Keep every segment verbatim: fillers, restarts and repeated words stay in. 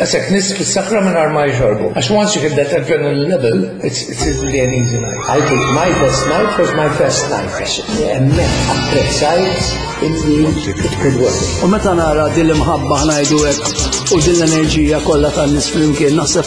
Għasek nis fis-sakra minn ma jxorbu. Għax once you hit that adrenaline level, it's, it's really an easy night. I think my best night was my first night. Għax hemmhekk apprezzajt illi it could work. U meta nara din l-imħabba ħa ngħidu hekk u din l-enerġija kollha tan-nies flimkien, naħseb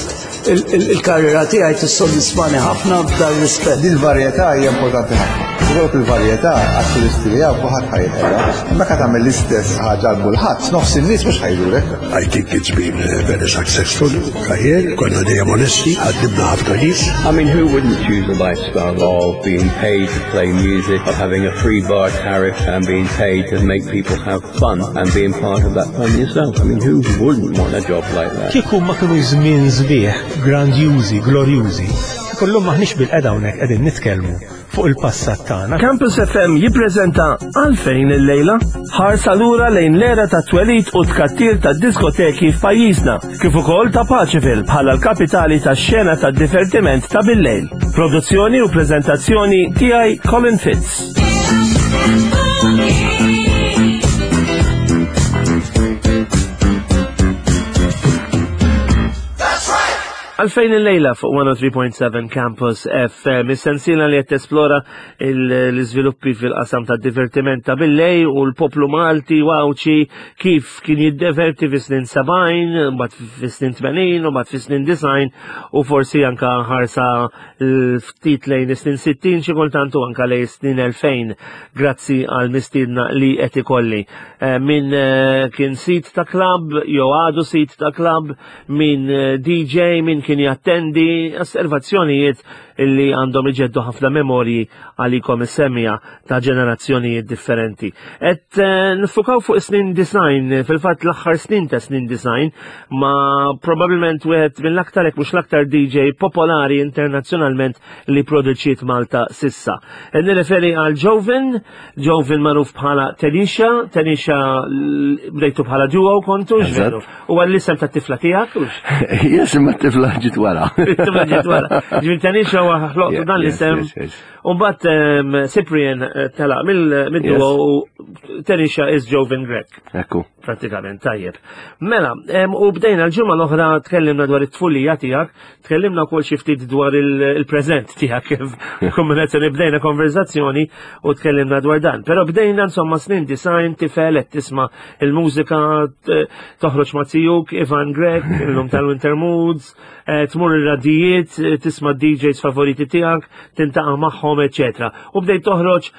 il-karriera tiegħi tissodisfani ħafna f'dan rispett. Din il-varjetà hija importanti ħafna. Ikollok il-varjetà għat-turisti li hawn kulħadd ħa jinħela. Meta tagħmel l-istess ħaġa għal kulħadd, nofs in-nies mhux ħa jżurek. I think it's been a very successful career. Konna dejjem onesti, ħaddimna ħafna nies. I mean, who wouldn't choose a lifestyle of being paid to play music, of having a free bar tariff and being paid to make people have fun and being part of that fun yourself? I mean, who wouldn't want a job like that? Kieku ma kienu żmien sbieħ, grandjużi, glorjużi, kollum maħniex bilqiegħda hawnhekk qegħdin nitkellmu fuq il-passat tagħna. Campus F M jippreżenta Għalfejn il-lejla, ħarsa lura lejn l-era ta' twelid u tkattir ta' diskoteki f'pajjiżna, kif ukoll ta' Paceville bħala l-kapitali ta' xena ta' divertiment ta' bil-lejl. Produzzjoni u preżentazzjoni tiegħi, Colin Fitz. Għalfejn il-lejla fuq mija u tlieta punt seba' Campus F M, is-sensiela li qed tesplora l-iżviluppi fil-qasam ta' divertiment ta' billejl u l-poplu Malti u Għawdxi kif kien jiddeverti fi snin sebgħin, mbagħad fi snin tmenin, u mbagħad fi snin disgħin u forsi anka ħarsa ftit lejn is-snin sittin xi kultant u anka lejn snin elfejn, grazzi għal mistiedna li qed ikolli. Eh, min eh, kien sid ta' club, jew għadu sid ta' club, min eh, D J, min kien jattendi, osservazzjonijiet illi għandhom iġeddu ħafna memorji għalikom is-semmiegħa ta' ġenerazzjonijiet differenti. Et niffukaw fuq snin disgħin, fil-fatt l-aħħar snin ta' snin disgħin, ma probabilment wieħed mill-aktar, jekk mhux l-aktar D J popolari internazzjonalment li produċiet Malta s'issa. E nirreferi għal Joven, Joven magħruf bħala Tenisha. Tenisha bdejtu bħala duo kontu, veru? U għall-isem ta' tifla tiegħek? Yes, imma t-tifla ġiet wara. Tifla ġiet wara. Ġifieri Tenisha u ħloqtu dan l-isem. U mbagħad Cyprian eh, telaq mill-duo u Tenisha is Joven Grech. Ekku. Pratikament, tajjeb. Mela, u bdejna l-ġimgħa l-oħra, tkellimna dwar it-tfulija tiegħek, tkellimna wkoll xi ftit dwar il-preżent tiegħek, kif kombinazzjoni bdejna konverzazzjoni u tkellimna dwar dan. Però bdejna insomma snin disgħin, tifel qed tisma' il-mużika, toħroġ ma' tiegħek Ivan Grech, illum tal-Winter Moods, eh, tmur ir-radijiet, tisma' D Js favoriti tiegħek, tiltaqa' magħhom, eċetera. U bdejt toħroġ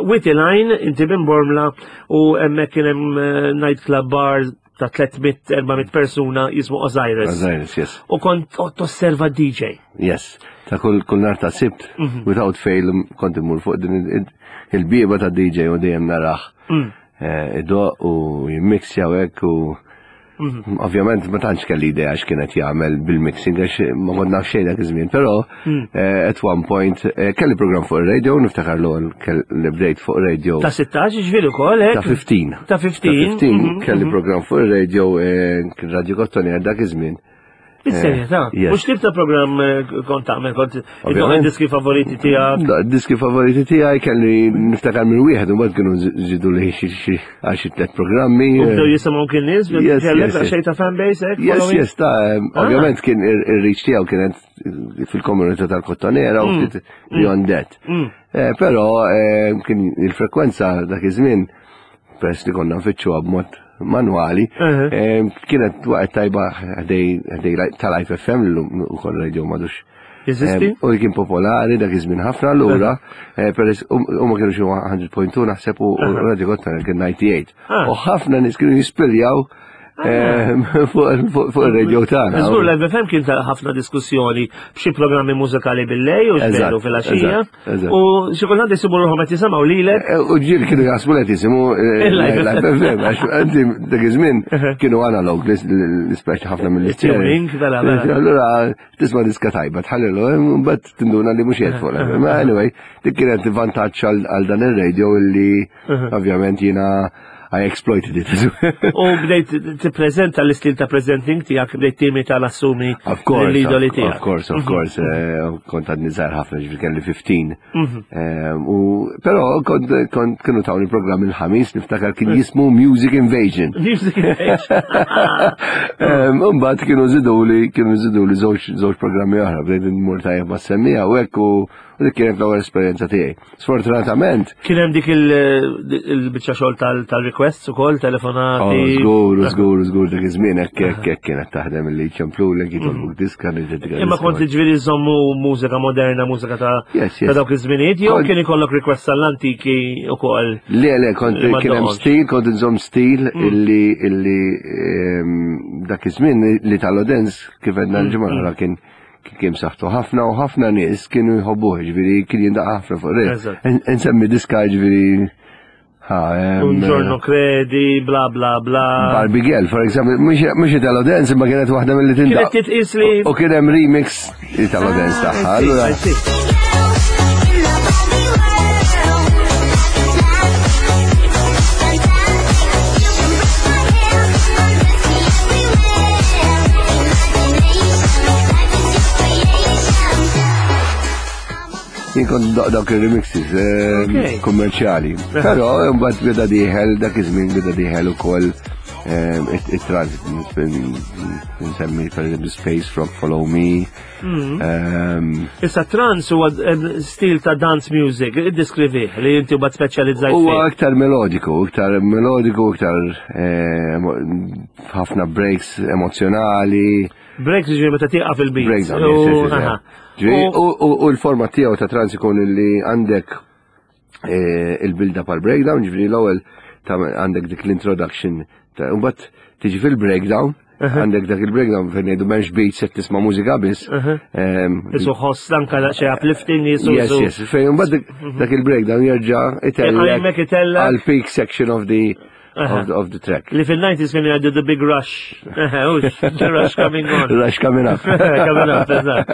Wied il-Għajn, inti minn Bormla, u hemmhekk kien hemm eh, nightclub bar ta' tliet mitt erba' mitt persuna jismu Osiris. Osiris, yes. U kont tosserva D J. Yes. Ta' kull kull nar ta' Sibt, mhm. without fail, kont immur fuq din il-bieba ta' D J u dejjem narah. Mm. Eh, idoqq u jimmixja u hekk u mhm. ovvjament ma tantx kelli idea x'kienet jagħmel bil-mixing għax ma kont naf xejn dak iż-żmien, però mm. eh, at one point eh, kelli program fuq ir-radio, niftakar l li bdejt fuq radio. Ta' sittax ġifieri ukoll hekk? Ta' ħmistax. Ta' ħmistax. Ta' ħmistax mhm, kelli mhm. program fuq ir-radio, kien Radio Kottoni dak iż-żmien. Bis-serjetà. U x'tip ta' programm kont tagħmel? Kont id diski favoriti tiegħek? Diski favoriti tiegħi kelli, niftakar minn wieħed, u mbagħad kienu żidu li xi għal xi tliet programmi. U bdew jisimgħu kien nies, kellek xejn ta' fanbase hekk? Yes, yes, ta' ah. ovvjament kien ir-reach tiegħu kienet fil-komunità tal-Kottonera u mm. ftit beyond that. Mm. Eh, però eh, kien il-frekwenza dak iż-żmien, peress li konna nfittxuha b'mod manwali, eh, kienet waqt tajba ħdejn tal-Life F M l-lum ukoll radio m'għadux. Jeżisti? U kien popolari dak iż-żmien ħafna allura, peress huma kienu xi mija punt tnejn naħseb u Radio Kottonera kien disgħa u tmenin. Ah. U ħafna nies kienu jispiljaw ah. fuq il-radio tagħna. Żgur, l-F M kien ta' ħafna diskussjoni b'xi programmi mużikali bil-lejl u xbelu fil-għaxija. U xi kultant jisibu ruħhom qed jisimgħu lilek. Eh, u ġieli kienu jaħsbu li qed jisimgħu l-F M, għax inti dak iż-żmien kienu analog l-ispeċi ħafna mill-tuning. Allura tisma' diska tajba, tħallilu, mbagħad tinduna li mhux qed fuq l-F M. Ma anyway, dik kienet vantaġġ għal dan ir-radio illi ovvjament jiena I exploited it as well. U bdejt tippreżenta l-istil ta' presenting tiegħek, bdejt timita l-assumi Of course, l-idoli of, tiegħek. of course, of course, eh, kont għadni żgħir ħafna, ġifieri kelli ħmistax. Mhm. Eh, U però kont kont kienu tawni programm il-Ħamis, niftakar kien jismu Music Invasion. Music Invasion. Mbagħad kienu żiduli kienu żiduli żewġ żewġ programmi oħra, bdejt nmur tajjeb ma' semmija u hekk u u dik kienet l-ewwel esperjenza tiegħi. Sfortunatament, Kien hemm dik il- il-biċċa xogħol tal- tal-requests ukoll, telefonati. Oh, żgur, żgur, żgur dak iż-żmien hekk hekk hekk kienet taħdem li ċemplulek jitolbuk diska niġġedika. Imma kont ġifieri żommu mużika moderna, mużika ta' Yes, yes. ta' dawk iż-żminijiet, jew Kont- kien ikollok requests tal-antiki ukoll. Le, le, kont Li ma kien hemm doqgħodx. stil, kont nżomm stil illi illi ehm, dak iż-żmien li tal-Odens kif għedna l-ġimgħa l-oħra kien kien saħtu ħafna u ħafna nies kienu jħobbuh, ġifieri kien jindaqqa ħafna fuq re. Eżatt. Nsemmi diska ġifieri ha, ehm, Un giorno credi, bla bla bla. Barbie Girl, for example, mhux Italo Dance, imma kienet waħda mill-li Kienet tindaq. titqis li. U kien hemm remix Italo Dance tagħha. Ah, I see, Allura I see. In the Barbie world, you can brush my hair, undress me everywhere. Imagination, life is your creation. Jien kont ndoqq dawk il-remixes eh, Okay. kummerċjali. Però mbagħad beda dieħel dak iż-żmien beda dieħel ukoll eh, it-trance, nsemmi per eżempju Space Rock, Follow Me. Ehm, Issa trance huwa eh, stil ta' dance music, iddeskrivih li inti mbagħad speċjalizzajt Huwa fih. aktar melodiku, iktar melodiku, iktar eh, emo- ħafna breaks emozjonali. Breaks ġifieri meta tieqaf il-beat. Breakdown, yes, yes, yes, aha. yes. Ġifieri, U- U u- u l-format tiegħu ta' trance ikun li għandek eh, il-build-up għal breakdown, ġifieri l-ewwel ta' għandek dik l-introduction, ta' u mbagħad tiġi fil-breakdown, għandek dak il-breakdown fejn ngħidu m'hemmx beats qed tisma' mużika biss. Ehm, Isu ħoss anka xi uplifting jisu. Yes, yes, fejn mbagħad dik- dak il-breakdown jerġa' itellek Hemmhekk itellek. għal peak section of the of the, of the track. Li fil-nineties kienu jgħidu the big rush. Ux, the rush coming on. Rush coming up. Coming up, eżatt.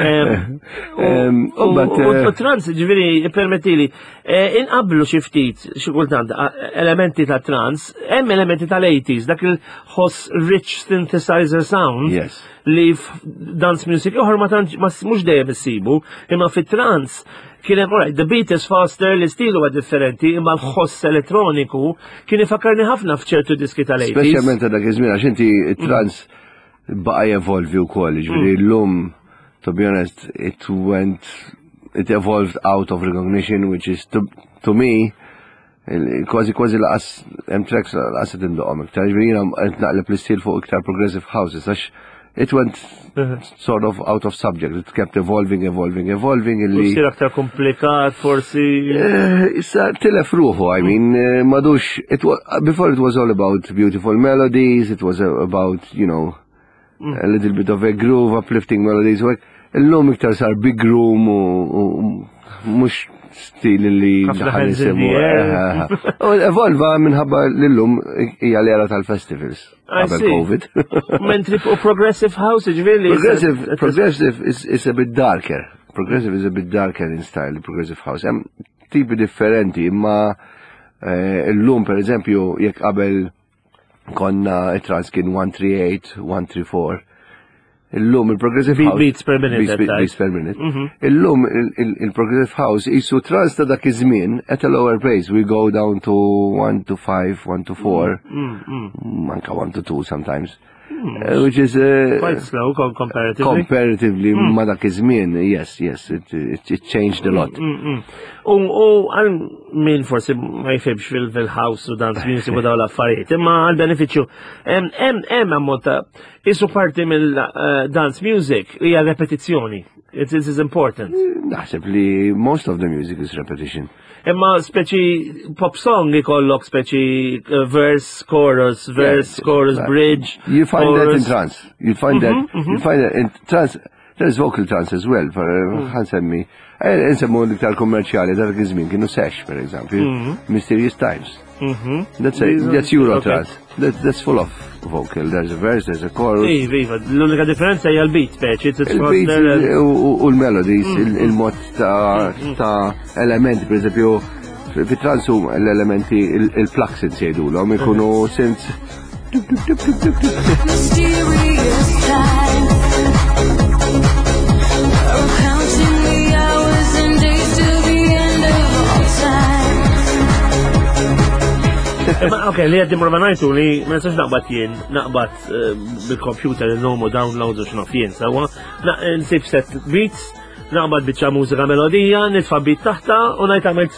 Em, Em, U u but, u- eh, u trance, ġifieri, permettili, eh, inqablu xi ftit, xi kultant, a- elementi ta' trance, hemm elementi tal-eighties, dak il-ħoss rich synthesizer sound Yes. li dance music oħra ma tantx ma mhux dejjem issibu, imma fit-trance kien hemm, alright, the beat is faster, l-istil huwa differenti, imma l-ħoss elettroniku kien ifakkarni ħafna f'ċertu diski tal-eighties. Speċjalment ta' dak iż-żmien għax inti trance baqa' jevolvi wkoll, ġifieri llum, to be honest, it went it evolved out of recognition, which is to, to me il- kważi kważi lanqas hemm tracks lanqas qed indoqqhom iktar. Ġifieri jiena qed naqleb l-istil fuq iktar progressive houses għax it went sort of out of subject. It kept evolving, evolving, evolving illi Sir aktar komplikat, forsi. Eh, Issa tilef ruħu, I mean, eh, m'għadux, it wa, before it was all about beautiful melodies, it was about, you know, a little bit of a groove, uplifting melodies, u hekk. Illum iktar sar big room u u mhux stil li Ħafna daħal hands in nisimu. the air. Eh, eh, eh. U evolva minħabba l-lum hija l-era tal-festivals. I Qabel see. Covid. Mentri u progressive house, ġifieri. Progressive, progressive is, is a bit darker. Progressive is a bit darker in style, progressive house. Hemm tipi differenti, imma eh, illum per eżempju, jekk qabel konna it-trance kien one three eight, one three four. Illum il-progressive Beat- house. Beats per minute, Beats, that beats per minute. Illum il- il- il-progressive house jisu trance ta' dak iż-żmien at a lower pace. We go down to one to five, one to four, anka one to two sometimes. Uh, which is uh, Quite slow com- comparatively. Comparatively ma dak iż-żmien, yes, yes, it, it, it changed a lot. U u għal min forsi ma jifhimx fil- fil-house u dance music u daw l-affarijiet, imma għal beneficju, hemm hemm hemm ammont ta' isu parti mill-dance music hija repetizzjoni. It is important. Naħseb li most of the music is repetition. Imma speċi pop song ikollok speċi uh, verse, chorus, verse, Yeah, chorus, right. bridge. You find that in chorus. trance. You find that you find that in trance. There's vocal trance as well. For ħa nsemmi, eh, nsemmu l-iktar kummerċjali dak iż-żmien kienu Sesh, per example, Mysterious Times. That's a, that's Euro Okay. trance. That, that's full of vocal. There's a verse, there's a chorus. Iva, iva, l-unika differenza hija l-beat speċi, it's Il-beats faster and- u u- u l-melodies, il- il-mod ta' ta' elementi, per eżempju, Fit-trance l-elementi, il-pluck synths jgħidulhom, ikunu synths. Mysterious times. We're counting the hours and days to the end of all time. Ma ok, li għaddim romanajtu li ma nistax naqbad jien, naqbad eh, bil-computer il-nomu downloads u x'naf jien, sewwa, nsib set beats, naqbad biċċa mużika melodija, nitfa' beat taħta u ngħid għamilt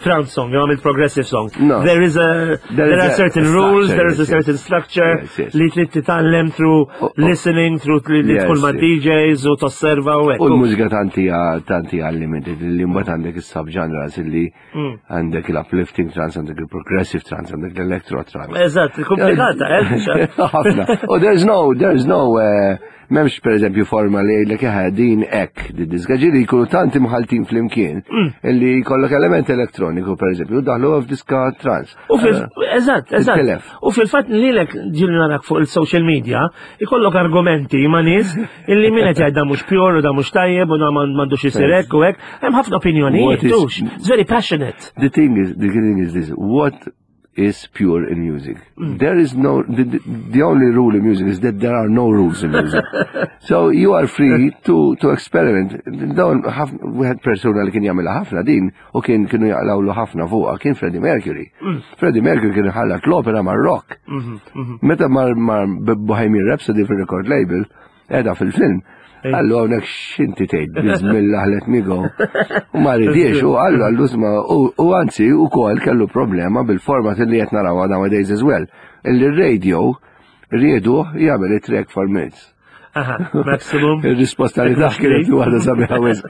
trance song, jew għamilt progressive song. No. There is a, There there, is are a- certain a rules, structure, there is a yes, certain yes. structure Yes, yes. li trid titgħallem through Oh, oh. listening, through li li Yes, tkun ma' yes. D Js u tosserva u hekk. U l-mużika tanti tanti unlimited li mbagħad għandek is-subgenres illi Mm. għandek il-uplifting trance, għandek il-progressive trance, għandek l-electro trance. Eżatt, komplikata, eh? Ħafna. U there's no, there's no, uh, m'hemmx per eżempju forma li jgħidlek eħe din hekk, di diska ġieli jkunu tanti mħaltin flimkien Mm. illi jkollok element elettroniku per eżempju, daħlu f'diska trance. U fil eżatt, eżatt. Tintilef. U fil-fatt lilek ġieli narak fuq il-social media, ikollok argumenti ma' nies illi min qed jgħid da mhux pure u da mhux tajjeb u da m'għandux isir hekk u hekk. Hemm ħafna opinjonijiet, What is- tux. It's very passionate. The thing is, the thing is this: what is pure in music? There is no. The, the, the only rule in music is that there are no rules in music. So you are free to to experiment. Dawn ħafna wieħed persuna li kien jagħmilha ħafna din u kien kienu jaqlawlu ħafna fuqha kien Freddie Mercury. Freddie Mercury kien ħallat l-opera mar-rock. Meta mar mar Bohemian Rhapsody fil-record label, edha fil-film, qallu hawnhekk x'inti tgħid, bismillah, let me go. U ma ridiex, u qallu qallu isma' u anzi ukoll kellu problema bil-format li qed naraw nowadays as well. Illi radio riedu jagħmel it-track four minutes. Aha, maximum. Il-risposta li taħ kienet waħda sabiħa wisq.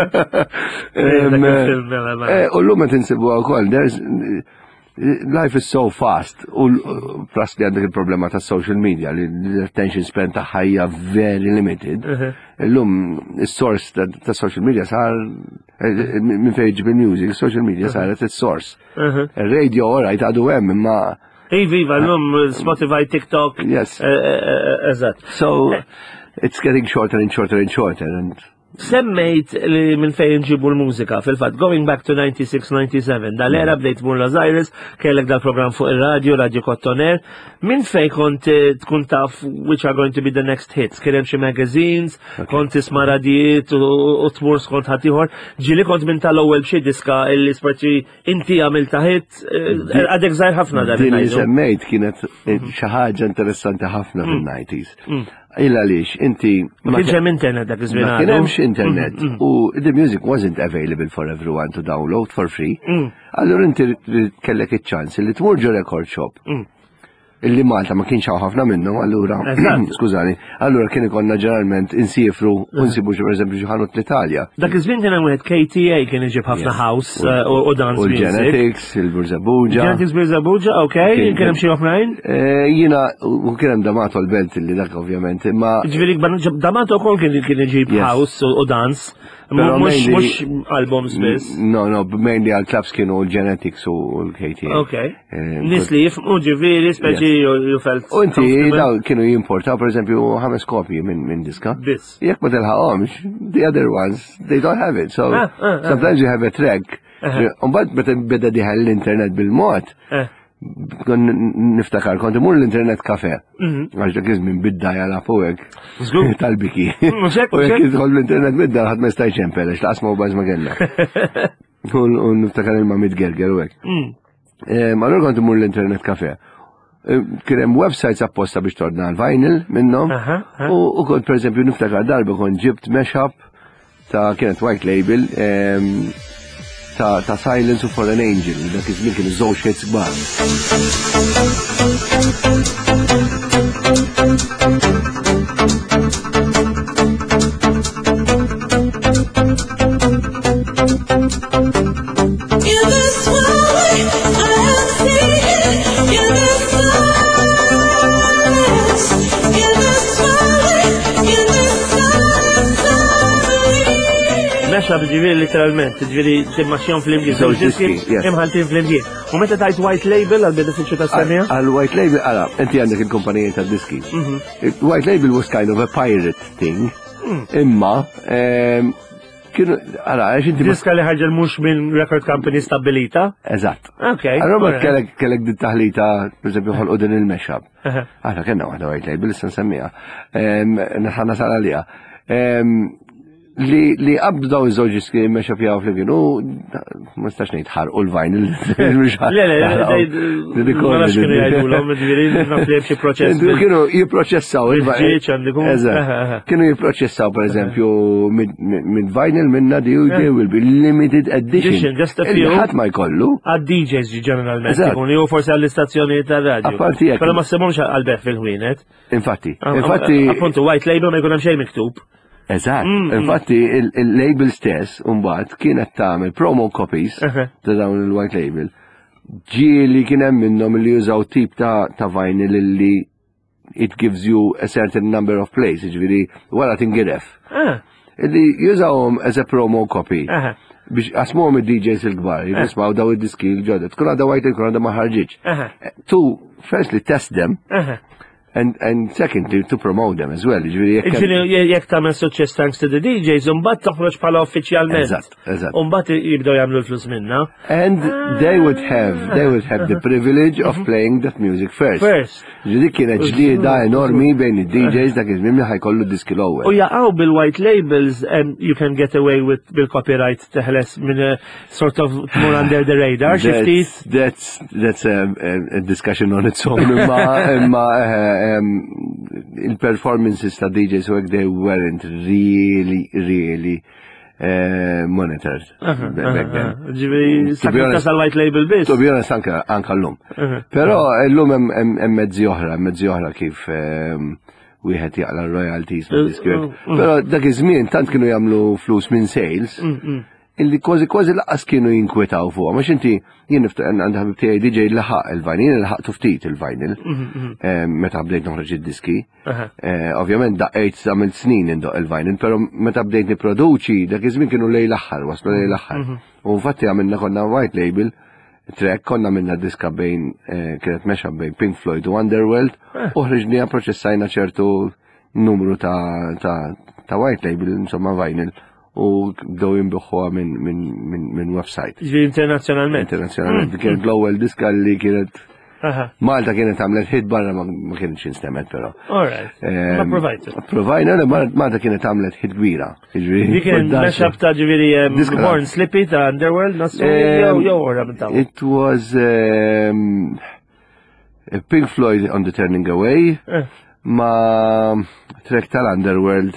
Dak il-film, mela, mela. Eh, U l-lum qed insibuha wkoll, there's life is so fast u l- plus li għandek il-problema ta' social media li l-attention span ta' ħajja very limited. Illum is-source ta' ta' social media sar eh, minn fejn ġib il-music, social media saret is-source. Il-radio alright għadu hemm imma Iva, iva, l-lum Spotify, TikTok. Yes. Eh, eh, eh, Eżatt. So it's getting shorter and shorter and shorter and Semmejt li minn fejn nġibu l-mużika, fil-fatt, going back to ninety-six ninety-seven, dal-era bdejt tmur Lazairis, kellek dal-program fuq il-radio, Radio Kottoner, minn fejn kont eh, tkun taf which are going to be the next hits? Kien hemm xi magazines, kont tisma' radijiet u u tmur skont ħaddieħor, ġieli kont minn tal-ewwel b'xi diska illi speċi inti għamilta hit, eh, għadek żgħir ħafna dan Din li ngħidu. semmejt kienet eh, xi ħaġa interessanti ħafna fil-nineties. Illa għaliex inti Ma kienx hemm internet dak iż-żmien Ma kien għadu. hemmx internet u the music wasn't available for everyone to download for free. Allura inti kellek iċ-ċans li tmur ġo record shop. Illi Malta ma kienx hawn ħafna minnhom, allura Eżatt. skużani, allura kien ikollna ġeneralment insifru u nsibu xi pereżempju xi ħanut l-Italja. Dak iż-żmien kien hemm wieħed K T A kien iġib ħafna house eh, u u dance U music. l-Genetics, il-Birżebbuġa. Genetics Birżebbuġa, ok, Kien- kien hemm xi oħrajn. Eh, Jiena, u kien hemm D'Amato l-Belt li dak ovvjament, imma Ġifieri D'Amato wkoll kien kien iġib Yes. house u u dance. Però Mhux mainly- mhux albums biss. No, no, mainly għal clubs kienu l-Genetics u l-K T A. Ok. Eh, Nies li jifhmu ġifieri speċi you you felt U inti comfortable. daw kienu jimportaw per eżempju ħames kopji minn min diska. Biss. Jekk ma tilħaqhomx, the other ones, they don't have it. So Ah, ah, ah. sometimes you have a track. Umbagħad meta beda dieħel l-internet bil-mod, Eh. kon niftakar, kont imur l-internet cafe. Għax dak iż-żmien bidda jala fuqek. Żgur. Tal-biki. Mhux hekk, U mhux jekk hekk. jidħol l-internet bidda ħadd ma jista' jċempel, għax laqas mobiles ma kellna. U u niftakar il-ma mitgerger u hekk. Eh, Ma allura kont imur l-internet cafe. Eh, Kien hemm websites apposta biex tordna l-vinyl minnhom. Aha, aha. U u kont per eżempju niftakar darba kont ġibt mashup ta' kienet white label em, ta' ta' Silence u For an Angel, dak iż-żmien kienu żewġ hits kbar. In this world, I have seen in the silence, in the silence, in the silence, I believe. Mashup ġifieri literalment, ġifieri timmaxxihom flimkien. Żewġ diski, yes. Imħaltin flimkien. U meta tajt white label għal benefiċċju tas-semija? Għal white label, għala, inti għandek il-kumpanija ta' diski. White label was kind of a pirate thing, imma em, Kienu, għala, għax inti. Diska li ħarġet mhux minn record company stabilita. Eżatt. Ok. Allora alright. kellek kellek dit taħlita, per eżempju, ħolqu din il-mashup. Aha. Aħna kellna waħda white label, issa nsemmiha. Em, Ħa nasal għaliha. Em, Li li qabdu daw iż-żewġ diski mashup jaw flimkien u ma nistax ngħid ħarqu l-vinyl. Le, le, le, ma nafx kienu jgħidulhom, ġifieri naf li hemm xi proċess. bil- Kienu jipproċessaw il-vinyl. Bil-ġieġ għandikum. Eżatt. Aha, aha. Kienu jipproċessaw per eżempju mid vinyl minna di u they will be limited edition. Edition, just a Illi few. ħadd ma jkollu. Għad D Js ġeneralment Eżatt. ikun, jew forsi għall-istazzjoni tar-radju. Apparti jekk. Però ma ssibhomx għall-bejgħ fil-ħwienet. Infatti, infatti, Appuntu, white label ma jkun hemm xejn miktub. Eżatt, Mm, mm. infatti il- il-label stess mbagħad kienet tagħmel promo copies Aha. ta' dawn il-white label. Ġieli kien hemm minnhom li jużaw tip ta' ta' vinyl li it gives you a certain number of plays, ġifieri wara tingiref. Ah, Illi jużawhom as a promo copy. aha, Biex qasmuhom id-D Js il-kbar, jismaw daw id-diski l-ġodda. Tkun għadha white label, tkun għadha ma ħarġitx. aha, To, firstly, test them, aha. and, and secondly, to promote them as well. Ġifieri jekk hemm- Ġifieri jekk tagħmel suċċess thanks to the D Js, imbagħad toħroġ bħala uffiċjalment. Eżatt, eżatt. Imbagħad jibdew jagħmlu l-flus minna. And they would have, they would have the privilege of playing that music first. First. Ġifieri kienet ġlieda enormi bejn id-D Js dak iż-żmien li ħa jkollu diski U l-ewwel. jaqgħu bil-white labels and you can get away with bil-copyright, teħles minn eh, sort of tmur under the radar, xi ftit. That's, that's, that's a, a, a discussion on its own. Imma, imma eh, um, il-performances ta' D Js u hekk, they weren't really, really uh, monitored back then. Ġifieri, To be honest- tasal white label biss. To be honest, anka, anka l-lum. Uh-huh. Però l-lum hemm- hemm hemm mezzi oħra, hemm mezzi oħra kif ehm, wieħed jaqla royalties minn diski hekk. Uh, uh. Però dak iż-żmien tant kienu jagħmlu flus minn sales illi kważi kważi lanqas kienu jinkwetaw fuq. Għax inti jien niftakar għandi ħabib tiegħi D J laħaq il-vinyl, laħaqtu ftit il-vinyl ehm, meta bdejt noħroġ id-diski. Aha. Eh, Ovvjament daqqejt, għamilt snin indoq il-vinyl, però meta bdejt niproduċi dak iż-żmien kienu lejn l-aħħar, waslu lejn l-aħħar. U infatti għamilna konna white label track, konna minna diska bejn eh, kienet mashup bejn Pink Floyd u Underworld u ħriġnija, proċessajna ċertu numru ta' ta' ta' white label, insomma vinyl, u bdew jinbiegħuha minn min, min, min website. Ġifieri internazzjonalment. Internazzjonalment. Kienet l-ewwel diska li kienet Aha. Malta kienet għamlet hit, barra ma ma kienx instemet però. All right. Ma provajtu. Provajna li Mar- Malta kienet għamlet hit kbira. Jiġifieri, Di kien foddax. mashup ta' ġifieri um, Diska. Born Slippy ta' Underworld, nasu Um, jew jew ora minn ta' It was um, Pink Floyd on the Turning Away Eh. ma track tal-Underworld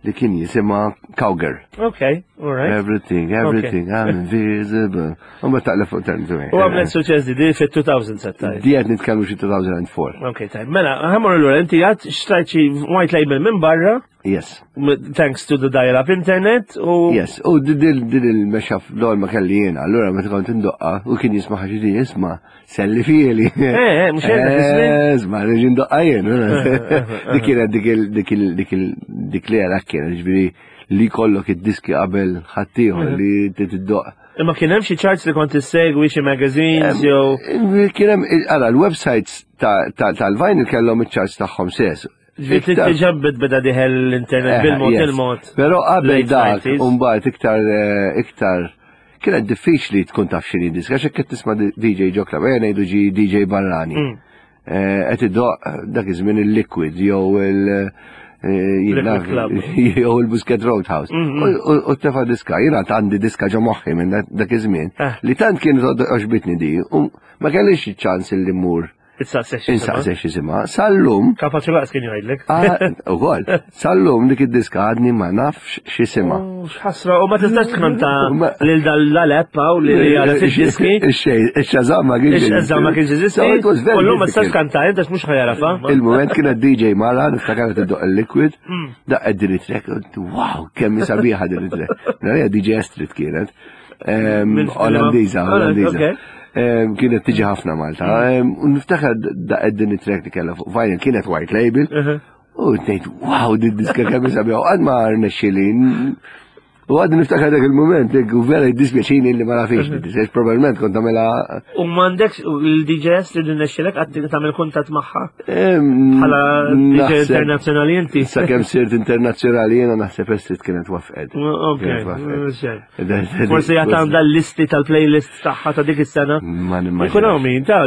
li kien jisimha Cowgirl. Okay, all right. Everything, everything, I'm invisible. U ma taqleb fuq Turning Away. U għamlet suċċess di di fit-elfejn settaj. Di qed nitkellmu xi elfejn u erbgħa. Ok, tajb. Mela, ħa mmur lura, inti għad xtrajt xi white label minn barra, Yes. m- thanks to the dial-up internet, u Yes, u din din il-mashup l ma kelli jiena, allura meta kont indoqqa u kien jisma' xi di jisma' selli fieli. Eh, eh, mhux hekk dak iż-żmien? Eh, Isma' reġi ndoqqa jien. Dik kienet dik il dik il dik il dik li għalak kienet, ġifieri li kollok id-diski qabel ħaddieħor li tiddoq. Imma kien hemm xi charts li kont issegwi, xi magazines jew Kien hemm, ara, l-websites ta- ta- tal-vinyl kellhom iċ-charts tagħhom stess. Ġifieri Iktar- diġà beda dieħel l-internet Eh, bil-mod yes. il-mod. Però qabel Late dak, nineties. umbagħad iktar eh, iktar kienet diffiċli tkun taf x'inhi diska, għax hekk qed tisma' D J ġo club, ejja ngħidu ġi D J barrani. Mm. Eh, Qed idoq dak iż-żmien il-Liquid jew il- eh, jien Liquid naf, Club. jew il-Busket Roadhouse. Mm, U- U u tefa diska, jiena għandi diska ġo moħħi minn dak- dak iż-żmien Ah. li tant kienet għoġbitni di, u ma kellix ċans li mmur Issaqsi xi insaqsi x'jisimha. Sal-lum Kapaċi lanqas kien jgħidlek. Ah, ukoll, sal-lum dik id-diska għadni ma nafx x'jisimha. X'ħasra, u ma tistax tkanta Ma- lil dal-app hawn li li għala fid-diski. Ix-Shazam ma kienx. Ix-Shazam ma kienx jeżisti. So it was very U llum ma tistax difficult. tkanta, inta mhux ħa jagħrafha. Il-moment kienet D J mara, niftakar tiddoq il-Liquid, Mm. daqqet din it-track, u wow, kemm sabiħa din it-track. Narija D J Astrid kienet. Em, Minn- Olandiża, Olandiża, Olandiża. ok. Em, Kienet tiġi ħafna Malta. Em, U niftakar daqqet din it-track li kellha fuq vinyl, kienet white label. Uh-huh. U ngħid, wow, din diska kemm sabiħa. U għad ma rnexxili U għadni niftakar dak il-moment, u vera jiddispjaċini li ma nafix, mm probabbilment kont nagħmilha. U m'għandekx il-D Js li rnexxilek għad tagħmel kuntatt magħha? Bħala D J internazzjonali inti? Sakemm sirt internazzjonali jiena, naħseb Estrid kienet wafqed. Ok. Forsi għad għandha l-listi tal-playlist tagħha ta' dik is-sena. Ma nimmaġinax. Ikun hawn min ta'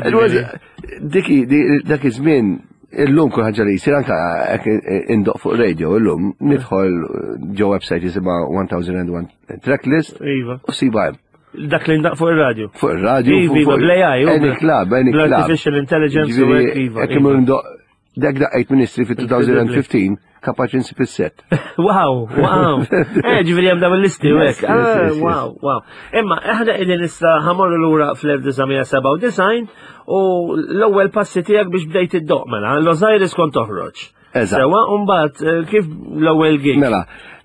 Diki, dak iż-żmien, illum kull ħaġa li jsir, anka jekk indoqq fuq radio, illum nidħol ġo website jisimha one thousand and one tracklist Iva. u ssibha hemm. Dak li ndaqq fuq ir-radio. Fuq ir-radio, Iva, fuq bl-A I, any club, any club. Bl-artificial intelligence u hekk, iva. Jekk imur ndoqq dak daqqejt Ministri fi elfejn u ħmistax, kapaċi nsib is-set. Wow, wow. Eh, ġifieri hemm dawn il-listi u hekk. Yes, yes, Ah, yes, yes. Wow, wow. Imma aħna qegħdin issa ħa mmorru lura fl-elf disa' mija sebgħa u disgħin u l-ewwel passi tiegħek biex bdejt iddoqq mela, l-Osiris kont toħroġ. Eżatt. Sewa, u mbagħad eh, kif l-ewwel gig? Mela,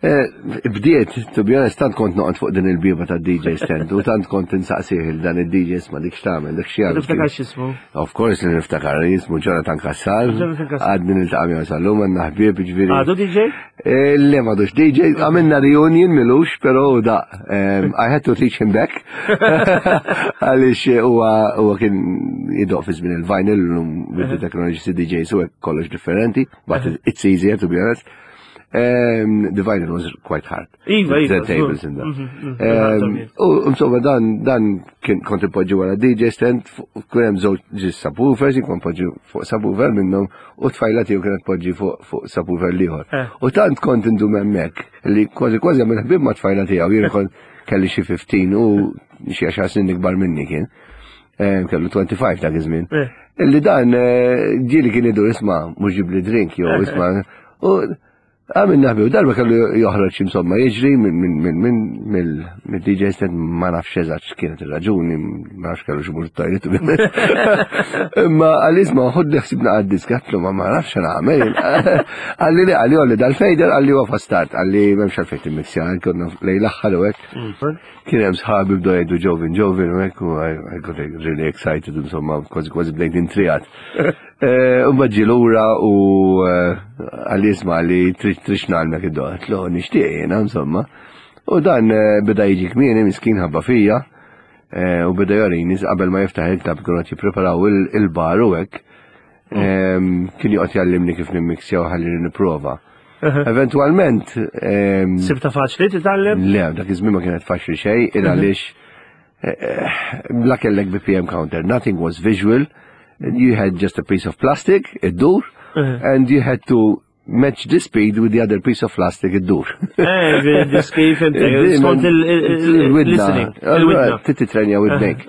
eh, bdiet, to be honest, tant kont noqgħod fuq din il-bieba ta' D J stand u tant kont insaqsih il dan il-D J, "Ma dik x'tagħmel, dik x'jagħmel?" Tiftakar x'ismu? Of course li niftakar, jismu Jonathan Kassar. Jonathan Kassar. Għadni niltaqa' miegħu sal-lum, għandna ħbieb, ġifieri. Għadu D J? Eh, Le, m'għadux D J, għamilna reunion m'ilux, pero da, um, I had to teach him back. Għaliex huwa huwa kien idoqq fi żmien il-vinyl, l-lum with the technology C D Js u hekk kollox differenti, but it's easier, to be honest. Um, the vinyl was quite hard. Iva, iva. The tables and that. Mhm, mhm, Um, U insomma dan dan kien kont ipoġġi wara D J stand, kien hemm żewġ subwoofers, jien kont poġġi fuq subwoofer minnhom u tfajla tiegħu kienet poġġi fuq fuq subwoofer l-ieħor. Eh. U tant kont indum hemmhekk li kważi kważi għamil ħbib ma' tfajla tiegħu, jien kont kelli xi ħmistax u xi għaxar snin ikbar minni kien. Eh, Kellu tminta u għoxrin dak iż-żmien. Eh. Illi dan eh, ġieli kien idur, "Isma', mhux ġibli drink," jew "Isma'." U għamilna ħbieb, darba kellu joħroġ, insomma, jiġri minn minn minn minn mill D J stand, ma nafx eżatt x'kienet ir-raġuni, ma nafx kellu x'imur toilet. Imma qalli, "Isma', ħudli ħsibna għad-diska," għedtlu, ma ma nafx nagħmel. Qalli li, qalli għolli dal-fader, qalli huwa start, qalli m'hemmx għalfejn timmixja, konna lejn l-aħħar u hekk. Kien hemm sħabi bdew jgħidu "Jovin, Jovin" u hekk u I I got really excited, insomma, kważi kważi bdejt intriegħed. U ġie lura u qalli, "Isma'," qalli, "trid trid ngħallmek iddoqq?" Għedtlu, "Nixtieq jiena, insomma." U dan eh, beda jiġi kmieni, miskin, ħabba fija, eh, u beda jorini qabel ma jiftaħ il-club, kienu qed jippreparaw il- il-bar u hekk. Em, Kien joqgħod jgħallimni kif nimmixja u ħalli nipprova. Eventualment, em, Sibta faċli titgħallem? Le, dak iż-żmien ma kienet faċli xejn, il għaliex eh, bla kellek B P M counter, nothing was visual. You had just a piece of plastic, iddur, and you had to match the speed with the other piece of plastic iddur. Eh, diski, fhimt, skont il-listening. Il-widna. Titrenja widnejk.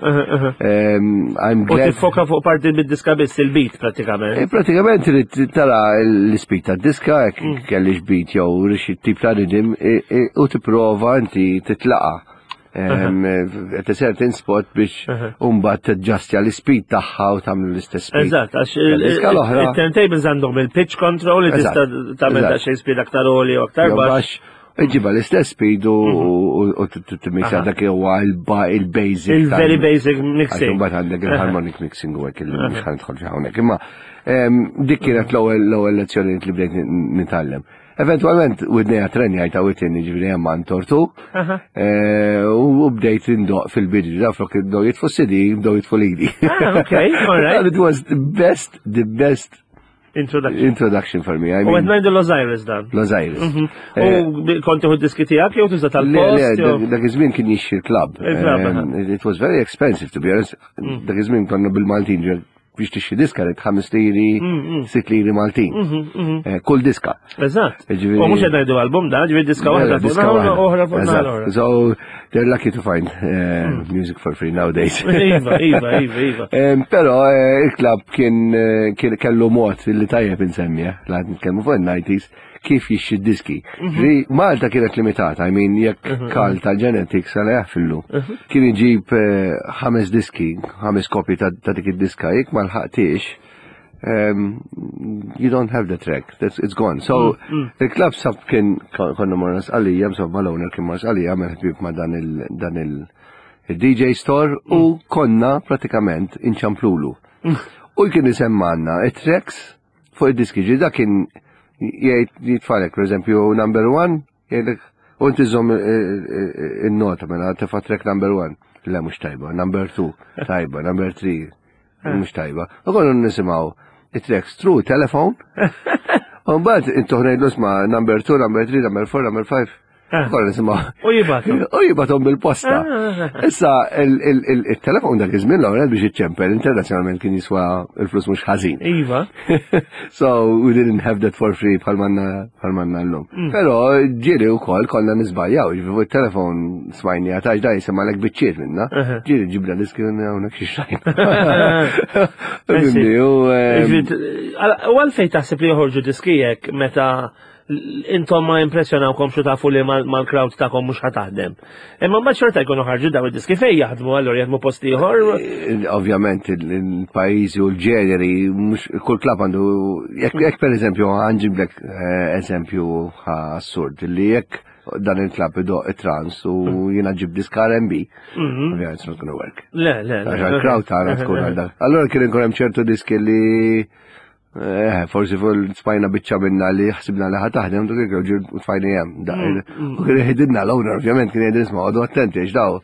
I'm U glad. tiffoka fuq parti bid-diska biss, il-beat pratikament. Eh, Pratikament trid tara l-speed ta' diska, jekk kellix beat jew xi tip ta' rhythm, e- e- u tipprova inti titlaqa. Em, At a certain spot biex mbagħad taġġastja l-speed tagħha u tagħmlu l-istess speed. Eżatt, għax Diska l-oħra. il-turntables għandhom il-pitch control li tista' Eżatt, tagħmel eżatt. daqsxejn speed aktar għoli u aktar Jew baxx. baxx, iġiba l-istess speed u u timmixja, dak huwa il-basic. Il-very basic mixing. Mbagħad għandek il-harmonic mixing u hekk li mhux ħa nidħol fi hawnhekk. Imma em, dik kienet l-ewwel l-ewwel lezzjoni li bdejt nitgħallem. Eventualment widnejja trenjajt għawitni, ġifieri hemm għand tortu eh, u bdejt indoqq fil-bidu, da flok bdew jitfu C D, bdew jitfu lili. Ah, okay, all right. It was the best, the best Introduction. introduction for me. I U qed mean, ngħidu l-Osiris dan. L-Osiris. U bi- kont tieħu diski tiegħek jew tuża Le, tal-post? le, jew- dak- dak iż-żmien kien jixtri l-club. Il-club, aha. Um, It was very expensive, to be honest. Dak iż-żmien konna bil-Maltin, ġer biex tixtri diska rrid ħames liri, sitt liri Maltin. Eh, Kull diska. Eżatt. Ġifieri- U mhux qed ngħidu album da, ġifieri diska waħda fuq Diska naħa waħda. oħra fuq naħa Eżatt. l-oħra. So they're lucky to find uh, music for free nowadays. Iva, iva, iva, iva. Em, Pero eh, il-club kien eh, kien kellu mod li tajjeb insemmi, eh, la nitkellmu fuq il-nineties, kif jixtri diski. Ġifieri Malta kienet limitata, I mean, jekk Kal tal-Genetics għala jaffillu. Kien iġib eh, ħames diski, ħames kopji ta' ta' dik id-diska, jekk ma lħaqtix, um, you don't have the track, that's, it's gone. So, il-club sab kien konna morna Sqallija, insomma l-owner kien mar Sqallija, għamel ħbieb ma' dan il- dan il- il-D J store u konna pratikament inċamplulu. U kien isemmanna it-tracks fuq id-diski, ġi da kien jgħid jitfalek, per eżempju, number one, jgħidlek U inti żomm il-nota mela tefa' track number one. Le mhux tajba, number two, tajba, number three, mhux tajba. U konna nisimgħu it-tracks through telephone. U mbagħad intu ngħidlu isma' number two, number three, number four, number five. Konna nisimgħu. U jibgħatu. U jibgħathom bil-posta. Issa il-telefon dak iż-żmien l-ewwel biex iċċempel internazzjonalment kien jiswa il-flus mhux ħażin. Iva. So we didn't have that for free bħal m'għandna llum. Però ġieli wkoll konna niżbaljaw, ġifieri fuq il-telefon smajni għatax da jisimgħalek biċċiet minna. Ġieli ġibna diski hawnhekk xi xajn. U għalfejn taħseb li joħorġu diski hekk meta intom ma impressjonawkom xu tafu li mal-crowd tagħkom mhux ħa taħdem. Imma mbagħad xorta jkunu ħarġu daw id-diski fejn jaħdmu allura jaħdmu post ieħor. Ovvjament il-pajjiżi u l-ġeneri mhux kull klabb għandu jekk pereżempju ħa nġiblek eżempju assurd li jekk dan il-klabb idoqq it-trance u jiena ġib diska R and B, ovvjament it's not gonna work. Le, le, le. Għax il-crowd tagħna tkun għal dak. Allura kien ikun hemm ċertu diski li Eh, forsi fuq smajna biċċa minna li ħsibna li ħa taħdem, dik ġir tfajni hemm. U kien jgħidilna l-owner, ovvjament, kien jgħidilna isma' għodu attenti għax daw.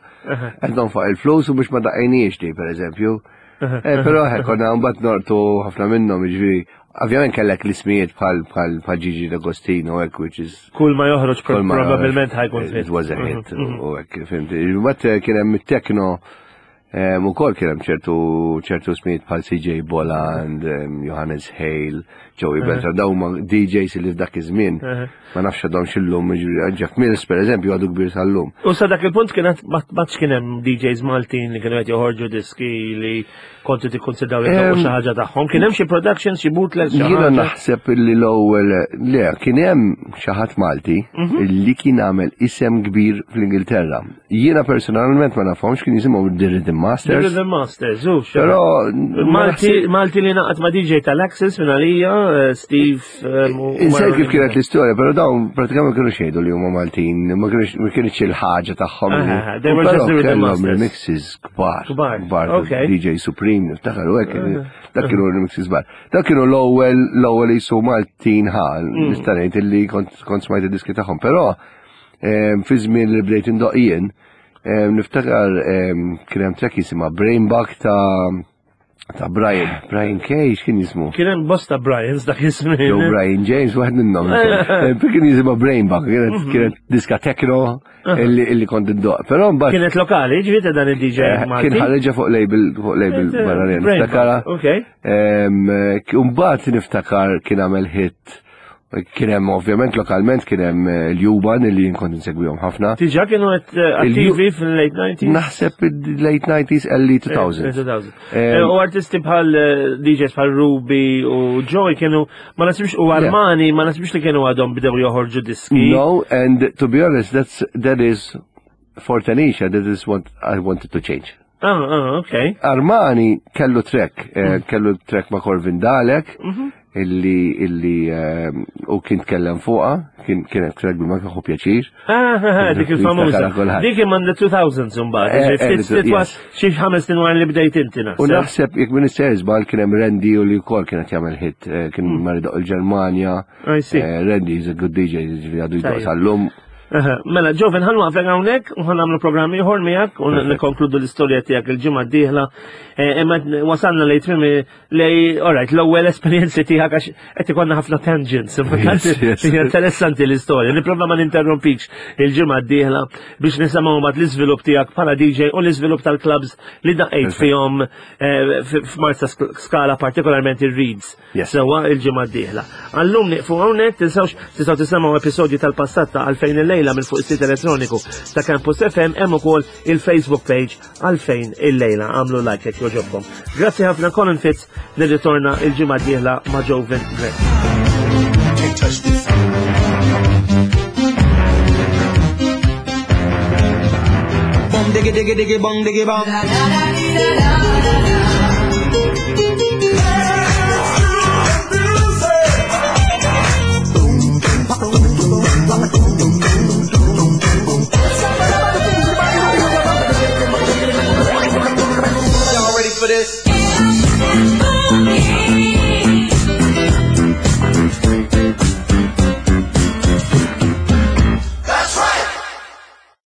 Qed nonfoq il-flus u biex ma daqqejniex di, per eżempju. Però hekk konna mbagħad nortu ħafna minnhom, jiġifieri, ovvjament kellek l-ismijiet bħal bħal bħal Gigi D'Agostino hekk, which is Kull ma joħroġ probabbilment ħa jkun It was a hit u hekk, fhimt. Mbagħad kien hemm it-techno U kol kien hemm ċertu ċertu ismijiet bħal C J Bolland, Johannes Hale, Joey Beltran, daw huma D Js li f'dak iż-żmien ma nafx għadhom x'illum, Jeff Mills per eżempju għadu kbir sal-lum. U sa dak il-punt kienet ma kien hemm D Js Maltin li kienu qed joħorġu diski li kontu tikkonsidraw li xi ħaġa tagħhom. Kien hemm xi productions, xi bootlegs, xi Jiena naħseb li l-ewwel le kien hemm xi ħadd Malti li kien għamel isem kbir fl-Ingilterra. Jiena personalment ma nafhomx, kien jisimhom The Rhythm Masters. The Rhythm Masters, u Però Malti, Malti li ngħaqad ma' D J tal-Access minn għalija, Steve. Insejt kif kienet l-istorja, però dawn pratikament kienu xejdu li huma Maltin, ma kienx il-ħaġa tagħhom. They were just the Rhythm Masters. Remixes kbar. Kbar. D J Supreme, niftakar u hekk, dak kienu remixes kbar. Dak kienu l-ewwel l-ewwel jisu Maltin ħa, nista' ngħid illi kont smajt id-diski tagħhom, però fi żmien li bdejt indoq jien, niftakar kien hemm track jisimha Brainbug ta' ta' Brian, Brian Kay, x'kien jismu? Kien hemm bosta Brians dak iż-żmien. Joe Brian James, wieħed minnhom. Kien jisimha Brainbug, kienet kienet diska techno illi illi kont indoq. Però mbagħad Kienet lokali, ġifieri dan il-D J Malti. Kien ħareġa fuq label fuq label barranin. Niftakara. Ok. Mbagħad niftakar kien għamel hit. Kien hemm ovvjament lokalment kien hemm l-Juban li jien kont insegwihom ħafna. Diġà kienu qed attivi fil-late nineties? Naħseb il-late nineties, early two thousands. U artisti bħal D Js bħal Ruby u Joy kienu ma nasibx u Armani ma nasibx li kienu għadhom bdew joħorġu diski. No, and to be honest, that's that is for Tanisha, that is what I wanted to change. Ah, ah, okay. Armani kellu track, kellu track ma' Corvin Dalek, illi illi u kien tkellem fuqha, kien kienet track bil ma pjaċir. Ah, dik il-famuża. Dik imma the two thousands mbagħad. Xi ħames snin wara li bdejt inti naħseb. U naħseb jekk minn żball kien hemm Randy u li wkoll kienet jagħmel hit, kien mar il-Ġermanja. Randy is a good D J, ġifieri għadu jdoq sal-lum. Mela, Joven, ħa nwaqfek hawnhekk u ħa nagħmlu programm ieħor miegħek u nikkonkludu l-istorja tiegħek il-ġimgħa d-dieħla. Imma wasalna lej tmiem lej, alright, l-ewwel esperjenzi tiegħek għax qed ikollna ħafna tangents. Interessanti l-istorja. Nipprova ma ninterrompikx il-ġimgħa d-dieħla biex nisimgħu mbagħad l-iżvilupp tiegħek bħala D J u l-iżvilupp tal-clubs li daqqejt fihom f'Marsa Skala, partikolarment ir-Reeds. Sewwa, il-ġimgħa d-dieħla. Għallum nieqfu hawnhekk, tinsewx tistgħu tisimgħu episodju tal-passat ta' Għalfejn il-lejla minn fuq is-sit elettroniku ta' Campus F M, hemm ukoll il-Facebook page Għalfejn il-lejla, għamlu like jekk jogħġobkom. Grazzi ħafna Colin Fitz, nirritorna il-ġimgħa d-dieħla ma' Joven Grech. Can't touch this. Bum diggy diggy diggy bum diggy bum. La la la la la la. Y'all ready for this?